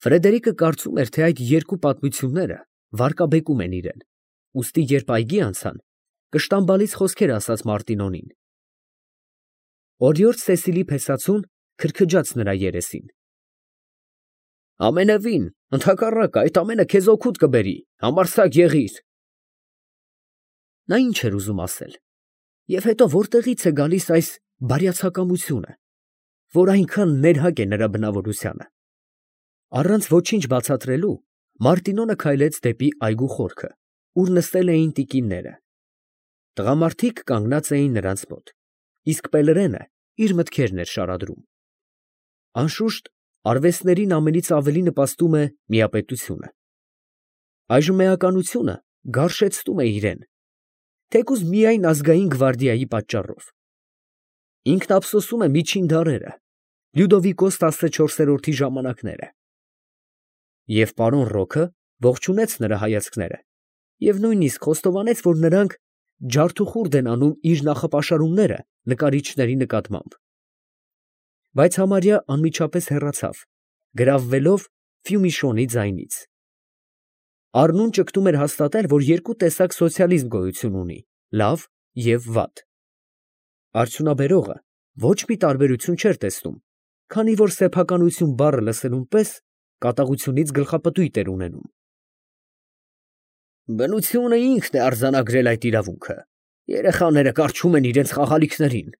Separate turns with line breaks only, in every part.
Ֆրեդերիկը կարծում էր, թե այդ երկու պատմությունները վարկաբեկում են իրեն, ուստի երբ այգի անցան, կշտամբալից խոսքեր ասաց Մարտինոնին։ Օրիորդ Սեսիլի փեսացուն քրքջաց նրա երեսին։ Ամենևին, ընդհակառակը, այդ ամենը քեզ օգուտ կբերի, համարձակ եղիր։ Նա ինչ էր ուզում ասել, և հետո որտեղից է գալիս այս բարյացակամությունը, որ այնքան ներհակ է նրա բնավորությանը։ Առանց ոչինչ բացատրելու, Մարտինոնը քայլեց դեպի այգու խորքը, ուր նստել էին տիկինները։ Տղամարդիկ կանգնած էին նրանց մոտ, իսկ Պելրենը իր մտքերն էր շարադրում։ Անշուշտ, արվեստներին ամենից ավելի նպաստում է միապետությունը։ Այժմ էականությունը գարշեցնում է իրեն, թեկուզ միայն ազգային գվարդիայի պատճառով։ Ինքն ափսոսում է միջին դարերը, Լյուդովիկոս 14-րդի ժամանակները։ Եվ պարոն Ռոքը ողջունեց նրա հայացքները և նույնիսկ խոստովանեց, որ նրանք ջարդուխուրդ են անում իր նախապաշարումները նկարիչների նկատմամբ։ Բայց համարյա անմիջապես հեռացավ, գրավվելով Ֆյումիշոնի ձայնից։ Առնուն ճգտում էր հաստատել, որ երկու տեսակ սոցիալիզմ գոյություն ունի՝ լավ և վատ։ Արդյունաբերողը ոչ մի տարբերություն չէր տեսնում, քանի որ սեփականություն բառը լսելուն պես կատաղությունից գլխապտույտ էր ունենում։ Բնությունը ինքն է արձանագրել այդ իրավունքը։ Երեխաները կառչում են իրենց խաղալիքներին։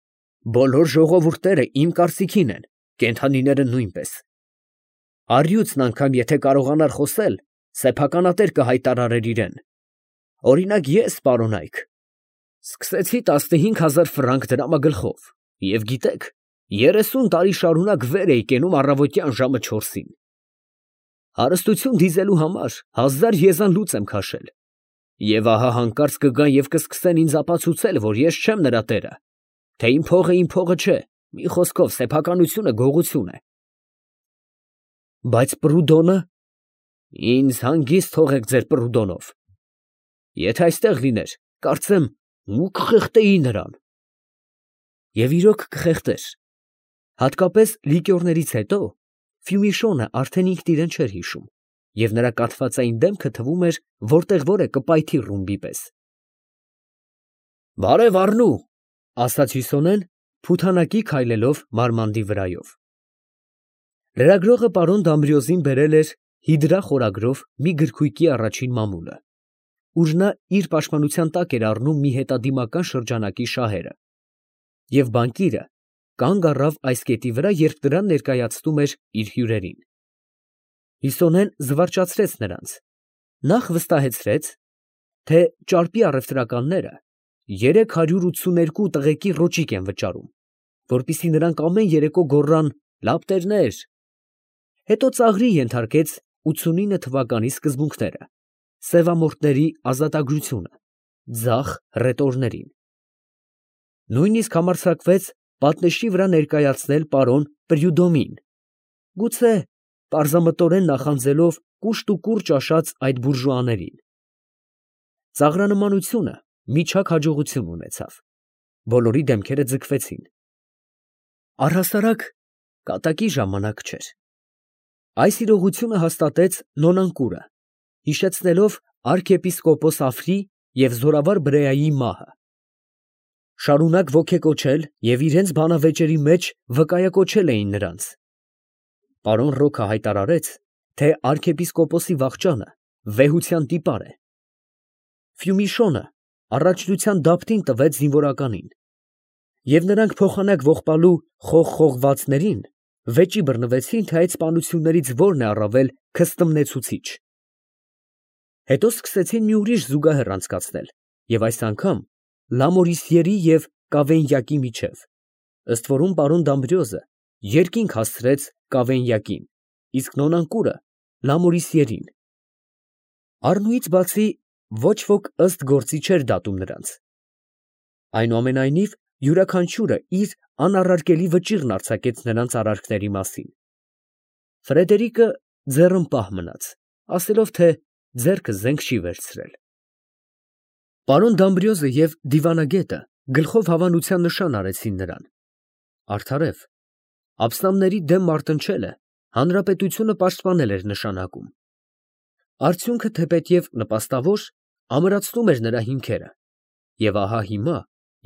Բոլոր ժողովուրդները իմ կարծիքին են, կենդանիները նույնպես։ Առյուծն անգամ եթե կարողանար խոսել, սեփականատեր կհայտարարեր իրեն։ Օրինակ ես, պարոն Այք, սկսեցի 15,000 ֆրանկ դրամագլխով և գիտեք, 30 տարի շարունակ վեր էի կենում առավոտյան ժամը 4-ին։ Հարստություն դիզելու համար 1000 եզան լուծ եմ քաշել։ Եվ ահա հանկարծ կգան և կսկսեն ինձ ապացուցել, որ ես չեմ նրա տերը, թե իմ փողը չէ, մի խոսքով սեփականությունը գողություն է։ Բայց Պրուդոնը… Ինձ հանգիստ թողեք ձեր Պրուդոնով։ Եթե այստեղ լիներ, կարծեմ, մուկ կխեղդեի նրան։ Եվ իրոք կխեղդեր։ Հատկապես լիկյորներից հետո Ֆյումիշոնը արդեն ինքն իրեն չէր հիշում, և նրա կաթվածային դեմքը թվում էր, որտեղ որ է կպայթի ռումբի պես։ Բարև առնու, ասաց Հյուսոնեն, փութանակի քայլելով մարմանդի վրայով։ Լրագրողը պարոն Դամբրիոզին բերել էր հիդրա խորագրով մի գրքույկի առաջին մամուլը, ուր նա իր պաշտպանության տակ էր առնում մի հետադիմական շրջանակի շահերը, և բանկիրը կանգ առավ այս կետի վրա, երբ դրան ներկայացնում էր իր հյուրերին։ Հյուսոնեն զվարճացրեց նրանց, նախ վստահեցրեց, թե ճարպի առևտրականները 382 տղեկի ռոճիկ են վճարում, որպեսզի նրանք ամեն երեկո գոռան «լապտերներ», հետո ծաղրի ենթարկեց 89 թվականի սկզբունքները, սևամորթների ազատագրությունը, ձախ հռետորներին։ Նույնիսկ համարձակվեց պատնեշի վրա ներկայացնել պարոն Պրյուդոմին, գուցե պարզամտորեն նախանձելով կուշտ ճաշած այդ բուրժուաներին։ Ծաղրանմանությունը միջակ հաջողություն ունեցավ, բոլորի դեմքերը ձգվեցին։ Առհասարակ կատակի ժամանակ չէր։ Այս իրողությունը հաստատեց Նոնանկուրը, հիշեցնելով արքեպիսկոպոս Աֆրի և զորավար Բրեայի մահը։ Շարունակ ոգեկոչել և իրենց բանավեճերի մեջ վկայակոչել էին նրանց։ Պարոն Ռոքը հայտարարեց, թե արքեպիսկոպոսի վախճանը վեհության տիպար է։ Ֆյումիշոնը առաջնության դափտին տվեց զինվորականին, և նրանք փոխանակ ողբալու խողխողվածներին վեճի բռնվեցին, թե այդ սպանություններից որն է առավել քստմնեցուցիչ։ Հետո սկսեցին մի ուրիշ զուգահեռ անցկացնել, և այս անգամ Լամորիսիերի և Կավենյակի միջև, ըստ որում պարոն Դամբրիոզը երկինք հասցրեց Կավենյակին, իսկ Նոնանկուրը Լամորիսիերին։ Առնուից բացի ոչ ոք ըստ գործի չէր դատում նրանց։ Այնուամենայնիվ, յուրաքանչյուրը իր անառարկելի վճիռն արձակեց նրանց արարքների մասին։ Ֆրեդերիկը ձեռնպահ մնաց, ասելով, թե ձեռքը զենք չի վերցրել։ Պարոն Դամբրիոզը և դիվանագետը գլխով հավանության նշան արեցին նրան։ Արդարև, աբսնամների դեմ մարտնչելը Հանրապետությունը պաշտպանել էր նշանակում։ Արդյունքը թեպետև նպաստավոր, ամրացնում էր նրա հիմքերը, և ահա հիմա,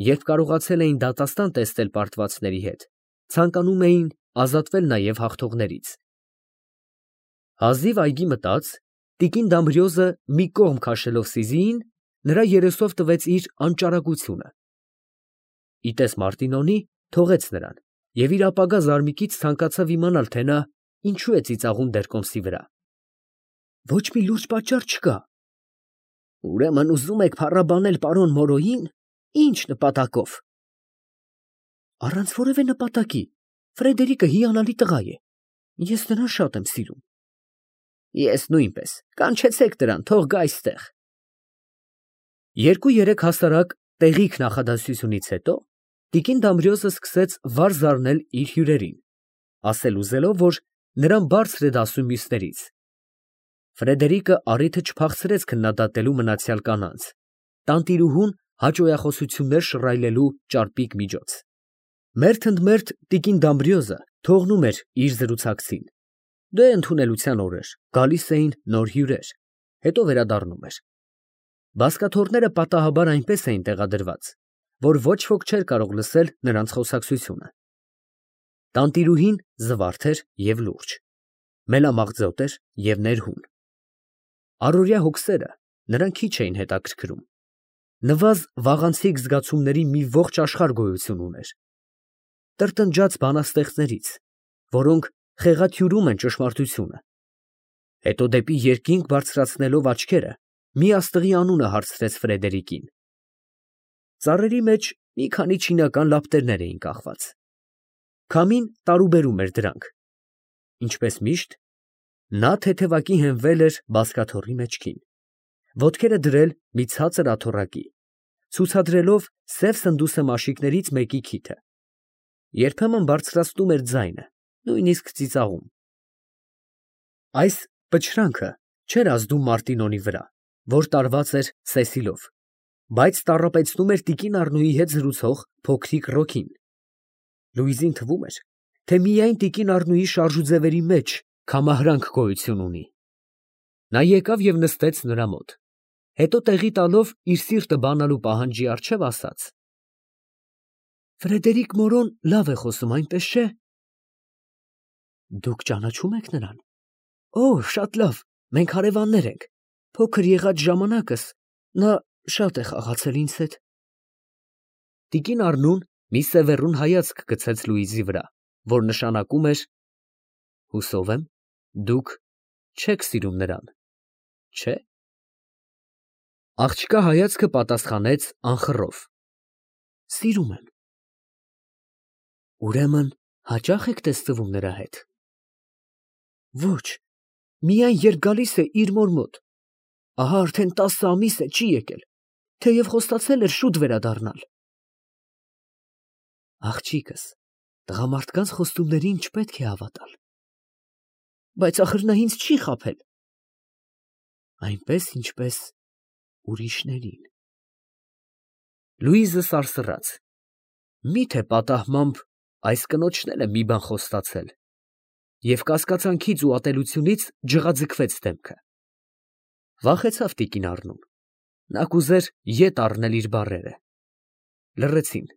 երբ կարողացել էին դատաստան տեսնել պարտվածների հետ, ցանկանում էին ազատվել նաև հաղթողներից։ Հազիվ այգի մտած, տիկին Դամբրիոզը մի կողմ քաշելով Սիզիին, նրա երեսով տվեց իր անճարակությունը։Իտես Մարտինոնի թողեց նրան և իր ապագա զարմիկից ցանկացավ իմանալ, թե նա ինչու է ծիծաղում Բերկոմսի վրա։ Ոչ մի լուրջ պատճառ չկա։ Ուրեմն ուզում եք փառաբանել պարոն Մորոյին, ի՞նչ նպատակով։ Առանց որևէ նպատակի, Ֆրեդերիկը հիանալի տղա է, ես նրան շատ եմ սիրում։ Ես նույնպես, կանչեցեք նրան, թող գա այստեղ։ Երկու-երեք հասարակ տեղիք նախադասությունից հետո տիկին Դամբրիոզը սկսեց վար զարնել իր հյուրերին, ասել ուզելով, որ նրան բարձր է դասում մյուսներից։ Ֆրեդերիկը առիթը չփախցրեց քննադատելու մնացյալ կանանց, տանտիրուհուն հաճոյախոսություններ շռայլելու ճարպիկ միջոց։ Մերթ ընդ մերթ տիկին Դամբրիոզը թողնում էր իր զրուցակցին։ Դե ընդունելության օրեր, գալիս էին նոր հյուրեր, հետո վերադառնում էր։ Բազկաթոռները պատահաբար այնպես էին տեղադրված, որ ոչ ոք չէր կարող լսել նրանց խոսակցությունը։ Տանտիրուհին զվարթ էր և լուրջ, մելամաղձոտ էր և ներհուն։ Առօրյա հոգսերը նրան քիչ էին հետաքրքրում։ Նվազ վաղանցիկ զգացումների մի ողջ աշխարհ գոյություն ուներ։ Տրտնջաց բանաստեղծներից, որոնք խեղաթյուրում են ճշմարտությունը։ Հետո դեպի երկինք բարձրացնելով աչքերը, մի աստղի անունը հարցրեց Ֆրեդերիկին։ Ծառերի մեջ մի քանի չինական լապտերներ էին կախված։ Քամին տարուբերում էր դրանք։ Ինչպես միշտ, նա թեթևակի հենվել էր բազկաթոռի մեջքին, ոտքերը դրել մի ցածր աթոռակի, ցուցադրելով սև սնդուսը մաշիկներից մեկի քիթը։ Երբեմն բարձրացնում էր ձայնը, նույնիսկ ծիծաղում։ Այս պչրանքը չէր ազդում Մարտինոնի վրա, որ տարված էր Սեսիլով, բայց տառապեցնում էր տիկին Առնոյի հետ զրուցող փոքրիկ Ռոքին։ Լուիզին թվում էր, թե միայն տիկին Առնոյի շարժուձևերի մեջ քամահրանք գոյություն ունի։ Նա եկավ և նստեց նրա մոտ, հետո տեղի տալով իր սիրտը բանալու պահանջի առջև ասաց. Ֆրեդերիկ Մորոն լավ է խոսում, այնպես չէ՞։ Դուք ճանաչում եք նրան։ Օ, շատ լավ, մենք հարևաններ ենք։ Փոքր եղած ժամանակս նա շատ է խաղացել ինձ հետ։ Տիկին Առնուն մի սևեռուն հայացք գցեց Լուիզի վրա, որ նշանակում էր. հուսով եմ, դուք չեք սիրում նրան, չէ՞։ Աղջկա հայացքը պատասխանեց անխռով. Սիրում եմ։ Ուրեմն հաճա՞խ եք տեսնվում նրա հետ։ Ոչ, միայն երբ գալիս է իր մոր մոտ։ Ահա արդեն 10 ամիս է չի եկել, թեև խոստացել էր շուտ վերադառնալ։ Աղջիկս, տղամարդկանց խոստումներին չպետք է հավատալ։ Բայց ախր նա ինձ չի խաբել։ Այնպես, ինչպես ուրիշներին։ Լուիզը սարսռաց։ Միթե պատահմամբ այս կնոջն էլ է մի բան խոստացել։ Եվ կասկածանքից ու ատելությունից ջղաձգվեց դեմքը։ Վախեցավ տիկին Առնուն։ Նա կուզեր ետ առնել իր բառերը։ Լռեցին։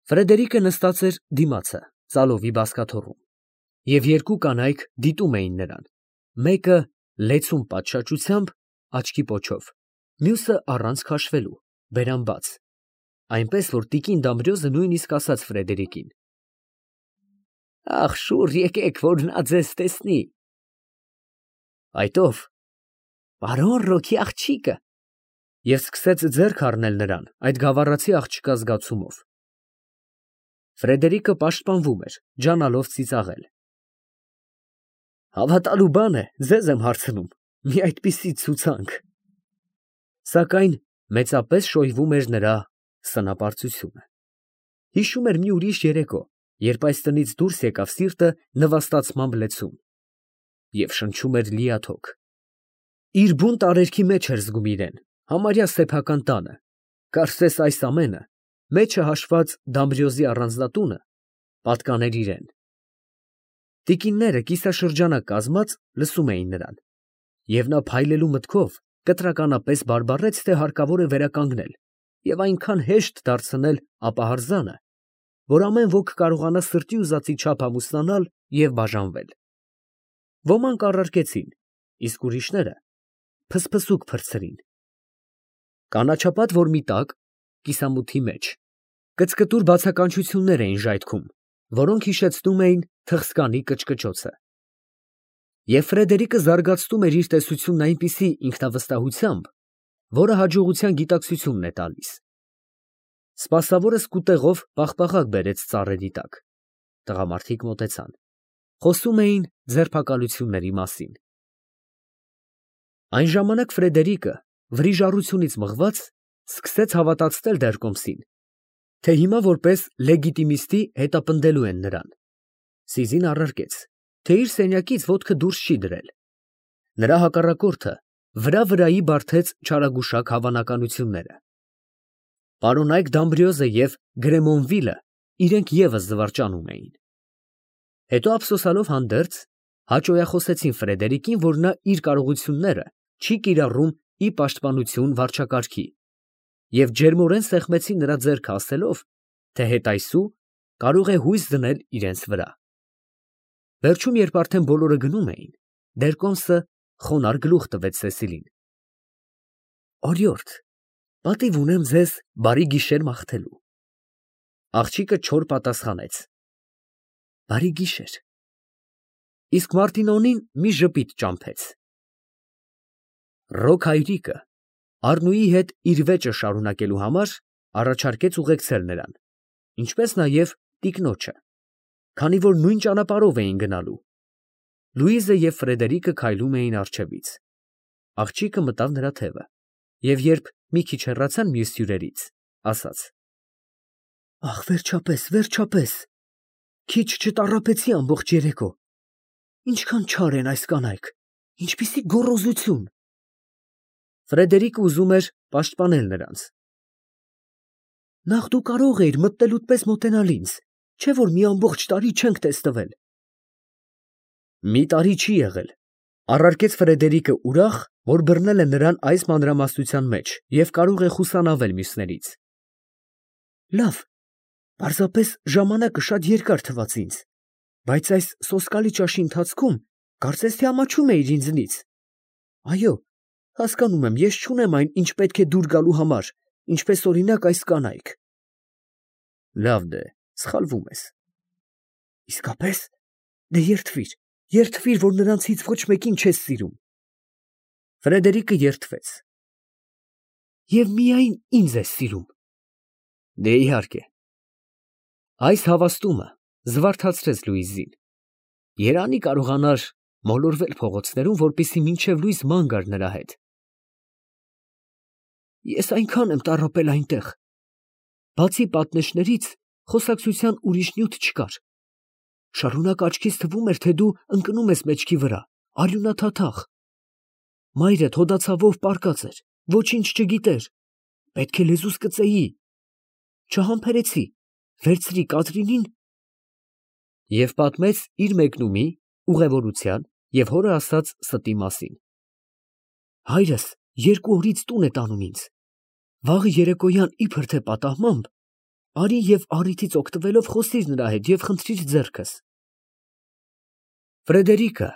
Ֆրեդերիկը նստած էր դիմացը, ծալովի բազկաթոռում, և երկու կանայք դիտում էին նրան, մեկը լեցուն պատշաճությամբ, աչքի պոչով, մյուսը առանց քաշվելու, բերան բաց, այնպես որ տիկին Դամբրիոզը նույնիսկ ասաց Ֆրեդերիկին. Ախ, շուռ եկեք, որ նա ձեզ տեսնի։ Այդ ո՞վ։ Պարոն Ռոքի աղջիկը։ Եվ սկսեց ձեռք առնել նրան այդ գավառացի աղջկա զգացումով։ Ֆրեդերիկը պաշտպանվում էր, ջանալով ծիծաղել։ Հավատալու բան է, ձեզ եմ հարցնում, մի այդպիսի ցուցանք։ Սակայն մեծապես շոյվում էր նրա սնապարծությունը։ Հիշում էր մի ուրիշ երեկո, երբ այս տնից դուրս եկավ սիրտը նվաստացմամբ լեցուն և շնչում էր լիաթոք։ Իր բուն տարերքի մեջ էր զգում իրեն, համարյա սեփական տանը, կարծես այս ամենը, մեջը հաշված Դամբրիոզի առանձնատունը, պատկաներ իրան։ Տիկինները կիսաշրջանակ կազմած լսում էին նրան, և նա փայլելու մտքով կտրականապես բարբառեց, թե հարկավոր է վերականգնել և այնքան հեշտ դարձնել ապահարզանը, որ ամեն ոք կարողանա սրտի ուզածի չափ ամուսնանալ և բաժանվել։ Ոմանք առարկեցին, իսկ ուրիշները փսփսուկ փրցրին։ Կանաչապատ որմի տակ, կիսամութի մեջ, կծկտուր բացականչություններ էին ժայթքում, որոնք հիշեցնում էին թխսկանի կչկչոցը։ Եվ Ֆրեդերիկը զարգացնում էր իր տեսությունն այնպիսի ինքնավստահությամբ, որը հաջողության գիտակցությունն է տալիս։ Սպասավորը սկուտեղով պաղպաղակ բերեց ծառերի տակ։ Տղամարդիկ մոտեցան, խոսում էին ձերբակալությունների մասին։ Այն ժամանակ Ֆրեդերիկը, վրիժառությունից մղված, սկսեց հավատացնել դեռ կոմսին, թե հիմա որպես լեգիտիմիստի հետապնդելու են նրան։ Սիզին առարկեց, թե իր սենյակից ոտքը դուրս չի դրել։ Նրա հակառակորդը վրա֊վրայի բարդեց չարագուշակ հավանականությունները։ Պարոնայք Դամբրիոզը և Գրեմոնվիլը իրենք ևս զվարճանում էին։ Հետո ափսոսանալով հանդերձ, հաճոյախոսեցին Ֆրեդերիկին, որ նա իր կարողությունները չի կիրառում ի պաշտպանություն վարչակարգի, և ջերմորեն սեղմեցին նրա ձեռքը, ասելով, թե հետայսու կարող է հույս դնել իրենց վրա։ Վերջում, երբ արդեն բոլորը գնում էին, դեռ կոմսը խոնարհ գլուխ տվեց Սեսիլին։ Օրիորդ, պատիվ ունեմ ձեզ բարի գիշեր մաղթելու։ Աղջիկը չոր պատասխանեց. Բարի գիշեր։ Իսկ Մարտինոնին մի ժպիտ ճամփեց։ Ռոք հայրիկը Առնուի հետ իր վեճը շարունակելու համար առաջարկեց ուղեկցել նրան, ինչպես նաև տիկնոջը, քանի որ նույն ճանապարհով էին գնալու։ Լուիզը և Ֆրեդերիկը քայլում էին առջևից։ Աղջիկը մտավ նրա թևը, և երբ մի քիչ հեռացան մյուս հյուրերից, ասաց. Ահ, վերջապես, վերջապես, քիչ չտառապեցի ամբողջ երեկո։ Ինչքան չար են այս կանայք, ինչպիսի գոռոզություն։ Ֆրեդերիկը ուզում էր պաշտպանել նրանց։ Նախ դու կարող էիր մտնելուդ պես մոտենալ ինձ, չէ՞ որ մի ամբողջ տարի չենք տեսնվել։ Մի տարի չի եղել, առարկեց Ֆրեդերիկը ուրախ, որ բռնել է նրան այս մանրամասնության մեջ և կարող է խուսանավել մյուսներից։ Լավ, պարզապես ժամանակը շատ երկար թվաց ինձ, բայց այս սոսկալի ճաշի ընթացքում կարծես թե ամաչում էիր ինձնից։ Այո, հասկանում եմ, ես չունեմ այն, ինչ պետք է դուր գալու համար, ինչպես օրինակ այս կանայք։ Լավ դե, սխալվում ես։ Իսկապես, դե երդվիր, որ նրանցից ոչ մեկին չես սիրում։ Ֆրեդերիկը երդվեց։ Եվ միայն ինձ ես սիրում։ Դե իհարկե։ Այս հավաստումը զվարթացրեց Լուիզին։ Երանի կարողանար մոլորվել փողոցներում, որպեսզի մինչև լույս ման գար նրա հետ։ Ես այնքան եմ տառապել այնտեղ։ Բացի պատնեշներից, խոսակցության ուրիշ նյութ չկար։ Շարունակ աչքիս թվում էր, թե դու ընկնում ես մեջքի վրա, արյունաթաթախ։ Մայրդ հոդացավով պառկած էր, ոչինչ չգիտեր, պետք է լեզուս կծեի։ Չհամբերեցի, վերցրի Կատրինին և պատմեց իր մեկնումի, ուղևորության և հորը ասած ստի մասին։ Հայրս 2 օրից տուն է տանում ինձ։ Վաղը երեկոյան իբր թե պատահմամբ, արի և առիթից օգտվելով խոսիր նրա հետ և խնդրիր ձեռքս։ Ֆրեդերիկը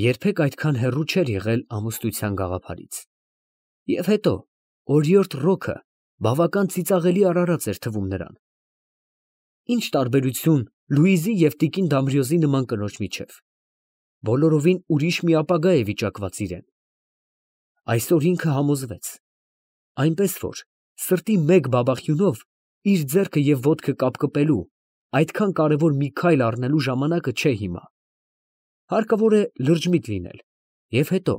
երբեք այդքան հեռու չէր եղել ամուսնության գաղափարից։ Եվ հետո օրիորդ Ռոքը բավական ծիծաղելի արարած էր թվում նրան։ Ինչ տարբերություն Լուիզի և տիկին Դամբրիոզի նման կնոջ միջև։ Բոլորովին ուրիշ մի ապագա է վիճակված իրեն։ Այսօր ինքը համոզվեց, այնպես որ սրտի մեկ բաբախյունով իր ձեռքը և ոտքը կապկպելու, այդքան կարևոր մի քայլ առնելու ժամանակը չէ հիմա։ Հարկավոր է լրջմիտ լինել, և հետո,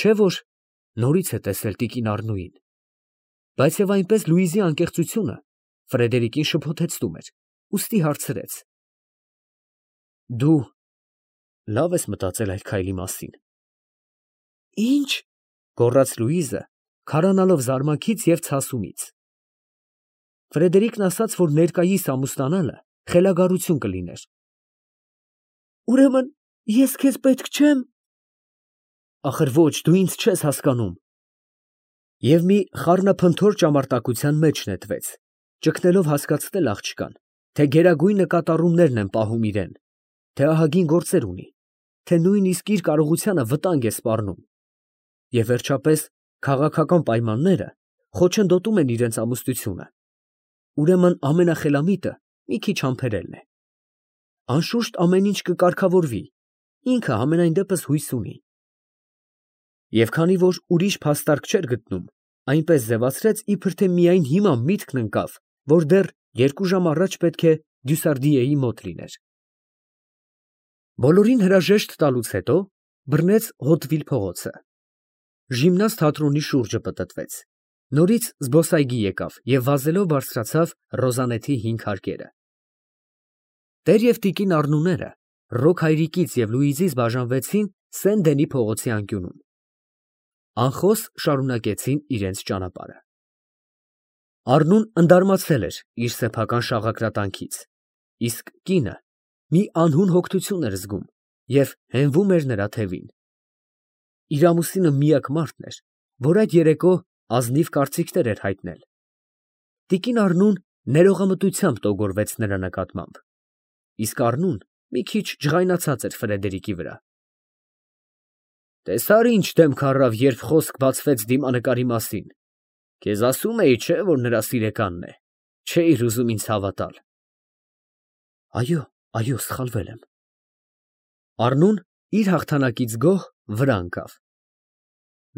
չէ՞ որ նորից է տեսել տիկին Առնուին։ Բայց և այնպես Լուիզի անկեղծությունը Ֆրեդերիկին շփոթեցնում էր, ուստի հարցրեց. Դու լավ ես մտածել այդ քայլի մասին։ Ինչ, գոռաց Լուիզը, քարանալով զարմանքից և ցասումից։ Ֆրեդերիկն ասաց, որ ներկայիս ամուսնանալը խելագարություն կլիներ։ Ուրեմն ես քեզ պետք չեմ։ Ախր ոչ, դու ինձ չես հասկանում։ Եվ մի խառնափնթոր ճամարտակության մեջ նետվեց, ճգնելով հասկացնել աղջկան, թե գերագույն նկատառումներն են պահում իրեն, թե ահագին գործեր ունի, թե նույնիսկ իր կարողությանը վտանգ է սպառնում։ Եվ վերջապես քաղաքական պայմանները խոչընդոտում են իրենց ամուսնությունը։ Ուրեմն ամենախելամիտը մի քիչ համբերելն է։ Անշուշտ ամեն ինչ կկարգավորվի, ինքը համենայն դեպս հույս ունի։ Եվ քանի որ ուրիշ փաստարկ չէր գտնում, այնպես ձևացրեց, իբր թե միայն հիմա միտքն ընկավ, որ դեռ 2 ժամ առաջ պետք է Դյուսարդիեի մոտ լիներ։ Բոլորին հրաժեշտ տալուց հետո բռնեց Հոտվիլ փողոցը։ Ժիմնաստ թատրոնի շուրջը պտտվեց։ Նորից զբոսայգի եկավ և վազելով բարձրացավ Ռոզանեթի 5 հարկերը։ Տեր և տիկին Առնուները Ռոք հայրիկից և Լուիզից բաժանվեցին Սեն֊Դենի փողոցի անկյունում։ Անխոս շարունակեցին իրենց ճանապարհը։ Առնուն ընդարմացել էր իր սեփական շաղակրատանքից, իսկ կինը մի անհուն հոգնություն էր զգում և հենվում էր նրա թևին։ Իր ամուսինը միակ մարդն էր, որ այդ երեկո ազնիվ կարծիքներ էր հայտնել։ Տիկին Առնուն ներողամտությամբ տոգորվեց նրա նկատմամբ, իսկ Առնուն մի քիչ ջղայնացած էր Ֆրեդերիկի վրա։ Տեսա՞ր ինչ դեմք առավ, երբ խոսք բացվեց դիմանկարի մասին։ Քեզ ասում էի, չէ՞, որ նրա սիրեկանն է, չէիր ուզում ինձ հավատալ։ Այո, սխալվել եմ։ Առնուն իր հաղթանակից գոհ վրա ընկավ։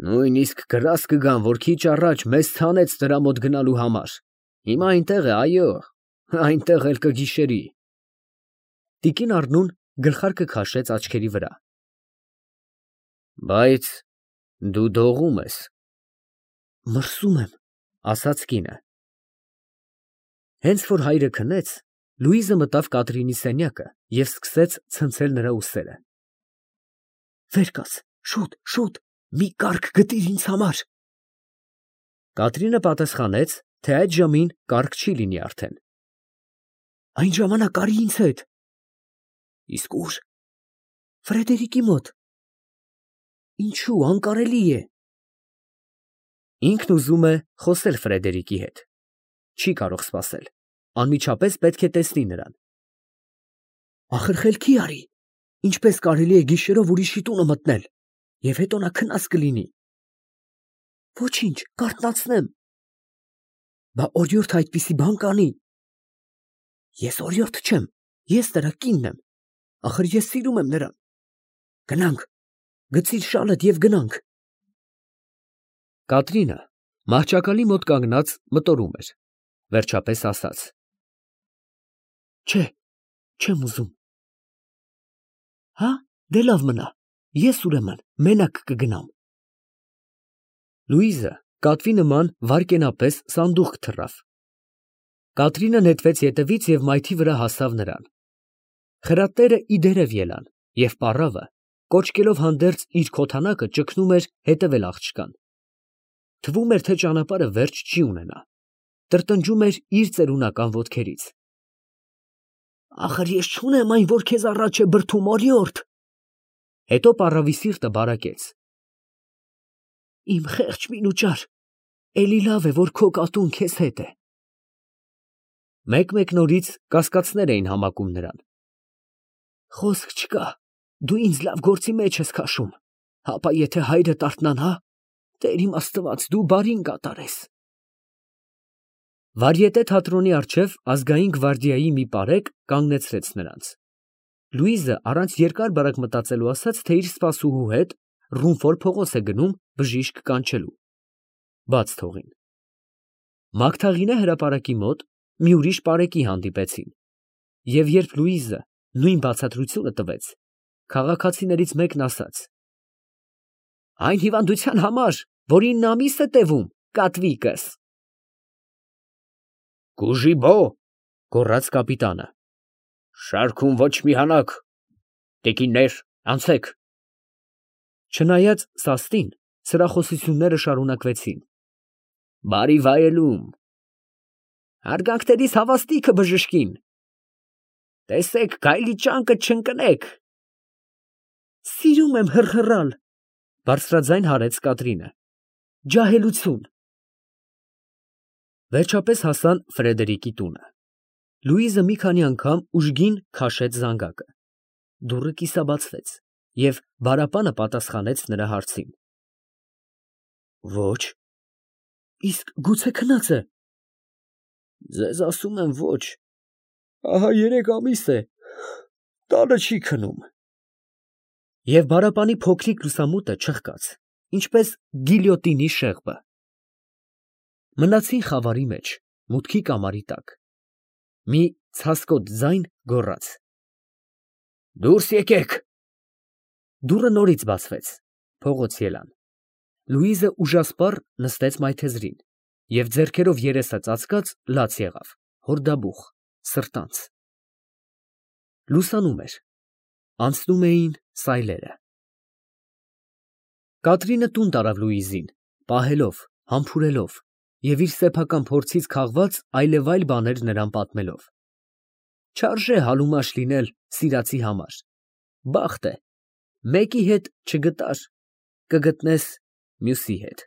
Նույնիսկ գրազ կգան, որ քիչ առաջ մեզ ցանեց նրա մոտ գնալու համար։ Հիմա այնտեղ է, այո, այնտեղ էլ կգիշերի։ Տիկին Առնուն գլխարկը քաշեց աչքերի վրա։ Բայց դու դողում ես։ Մրսում եմ, ասաց կինը։ Հենց որ հայրը քնեց, Լուիզը մտավ Կատրինի սենյակը և սկսեց ցնցել նրա ուսերը։ Վեր կաց, շուտ, մի կառք գտիր ինձ համար։ Կատրինը պատասխանեց, թե այդ ժամին կառք չի լինի արդեն։ Այն ժամանակ արի ինձ հետ։ Իսկ ուր։ Ֆրեդերիկի մոտ։ Ինչու, անկարելի է։ Ինքն ուզում է խոսել Ֆրեդերիկի հետ։ Չի կարող սպասել, անմիջապես պետք է տեսնի նրան։ Ախր խելքի արի, ինչպես կարելի է գիշերով ուրիշի տունը մտնել, և հետո նա քնած կլինի։ Ոչինչ, կարթնացնեմ։ Բա օրիորդ այդպիսի բան կանի։ Ես օրիորդ չեմ, ես նրա կինն եմ, ախր ես սիրում եմ նրան։ Գնանք, գցիր շալդ և գնանք։ Կատրինը մահճակալի մոտ կանգնած մտորում էր, վերջապես ասաց. Չէ, չեմ ուզում։ Հա, դե լավ մնա, ես ուրեմն մենակ կգնամ։ Լուիզը կատվի նման վայրկենապես սանդուղք թռավ։ Կատրինը նետվեց ետևից և մայթի վրա հասավ նրան։ Խրատները ի դերև ելան, և պառավը, կոչկելով հանդերձ իր քոթանակը, ճգնում էր հետևել աղջկան։ Թվում էր, թե ճանապարհը վերջ չի ունենա, տրտնջում էր իր ծերունական ոտքերից։ Ախր ես չունեմ այն, որ քեզ առաջ է բրդում, օրիորդ։ Հետո պառավի սիրտը բարակեց։ Իմ խեղճ մինուճար, էլի լավ է, որ քո կատուն քեզ հետ է։ Մեկ-մեկ նորից կասկածներ էին համակում նրան։ Խոսք չկա, դու ինձ լավ գործի մեջ ես քաշում, հապա եթե հայրդ արթնանա, Տեր իմ Աստված, դու բարին կատարես։ Վարիետե թատրոնի առջև ազգային գվարդիայի մի պարեկ կանգնեցրեց նրանց։ Լուիզը առանց երկար-բարակ մտածելու ասաց, թե իր սպասուհու հետ Ռումֆոր փողոց է գնում բժիշկ կանչելու։ Բաց թողին։ Մագդաղինե հրապարակի մոտ մի ուրիշ պարեկի հանդիպեցին, և երբ Լուիզը նույն բացատրությունը տվեց, քաղաքացիներից մեկն ասաց. Այն հիվանդության համար, որին ամիս է տևում, կատվիկս։ Կուժիբո, գոռաց կապիտանը։ Շարքում ոչ մի հանակ։ Տեկիններ, անցեք։ Չնայած սաստին, սրախոսությունները շարունակվեցին։ Բարի վայելում։ Հարգանքներիս հավաստիքը բժշկին։ Տեսեք, գայլի ճանկը չընկնեք, Սիրում եմ հռհռալ, բարձրաձայն հարեց Կատրինը։ Ջահելություն։ Վերջապես հասան Ֆրեդերիկի տունը։ Լուիզը մի քանի անգամ ուժգին քաշեց զանգակը։ Դուռը կիսաբացվեց, և բարապանը պատասխանեց նրա հարցին։ Ոչ։ Իսկ գուցե քնած է։ Ձեզ ասում եմ ոչ, ահա 3 ամիս է, տանը չի քնում։ Եվ բարապանի փոքրիկ լուսամուտը չղկաց, ինչպես գիլյոտինի շեղբը։ Մնացին խավարի մեջ, մուտքի կամարի տակ։ Մի ցասկոտ ձայն գոռաց. Դուրս եկեք։ Դուռը նորից բացվեց, փողոց ելան։ Լուիզը ուժասպառ նստեց մայթեզրին և ձեռքերով երեսը ծածկած լաց եղավ, հորդաբուխ, սրտանց։ Լուսանում էր, անցնում էին սայլերը։ Կատրինը տուն տարավ Լուիզին, պահելով, համբուրելով և իր սեփական փորձից քաղված այլևայլ բաներ նրան պատմելով։ Չարժե հալումաշ լինել սիրածի համար, բախտ է, մեկի հետ չգտար, կգտնես մյուսի հետ։